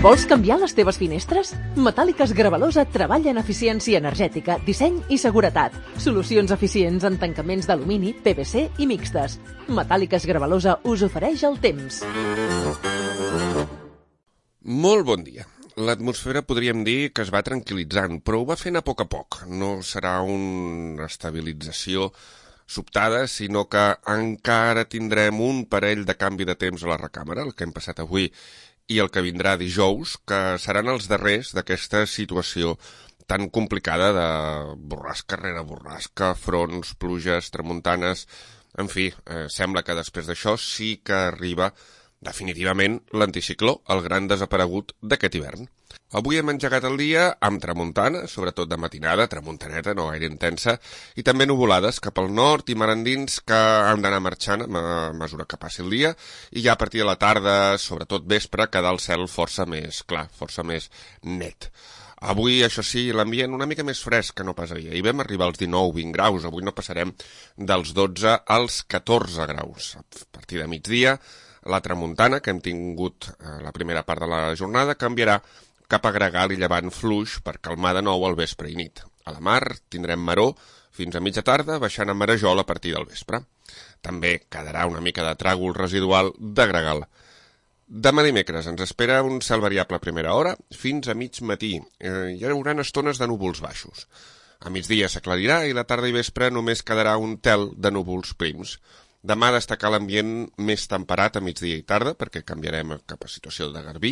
Vols canviar les teves finestres? Metàl·liques Gravalosa treballa en eficiència energètica, disseny i seguretat. Solucions eficients en tancaments d'alumini, PVC i mixtes. Metàl·liques Gravalosa us ofereix el temps. Molt bon dia. L'atmosfera podríem dir que es va tranquil·litzant, però ho va fent a poc. No serà una estabilització sobtada, sinó que encara tindrem un parell de canvi de temps a la recàmera, el que hem passat avui i el que vindrà dijous, que seran els darrers d'aquesta situació tan complicada de borrasca rere borrasca, fronts, pluges, tramuntanes. En fi, sembla que després d'això sí que arriba definitivament l'anticicló, el gran desaparegut d'aquest hivern. Avui hem engegat el dia amb tramuntana, sobretot de matinada, tramuntaneta, no gaire intensa, i també nuvolades cap al nord i mar endins que han d'anar marxant a mesura que passi el dia, i ja a partir de la tarda, sobretot vespre, quedar el cel força més clar, força més net. Avui, això sí, l'ambient una mica més fresc que no pas ahir. Ahir vam arribar als 19-20 graus, avui no passarem dels 12 als 14 graus. A partir de migdia, la tramuntana, que hem tingut la primera part de la jornada, canviarà cap a gregal i llevant fluix per calmar de nou al vespre i nit. A la mar tindrem maror fins a mitja tarda, baixant a marejol a partir del vespre. També quedarà una mica de tràgol residual de gregal. Demà dimecres ens espera un cel variable a primera hora fins a mig matí. Hi haurà estones de núvols baixos. A migdia s'aclarirà i la tarda i vespre només quedarà un tel de núvols prims. Demà destacar l'ambient més temperat a migdia i tarda, perquè canviarem cap a situació de garbí,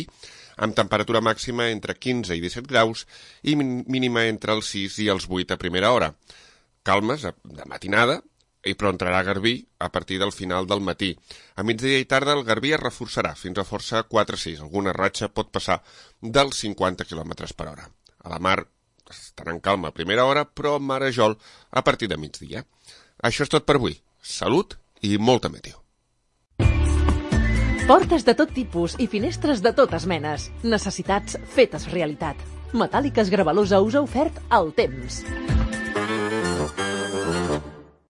amb temperatura màxima entre 15 i 17 graus i mínima entre els 6 i els 8 a primera hora. Calmes de matinada, però entrarà garbí a partir del final del matí. A migdia i tarda el garbí es reforçarà fins a força 4-6. Alguna ratxa pot passar dels 50 km per hora. A la mar estarà en calma a primera hora, però marejol a partir de migdia. Això és tot per avui. Salut i molta meteo. Portes de tot tipus i finestres de totes menes. Necessitats fetes realitat. Metàl·liques Gravalosa us ha ofert el temps.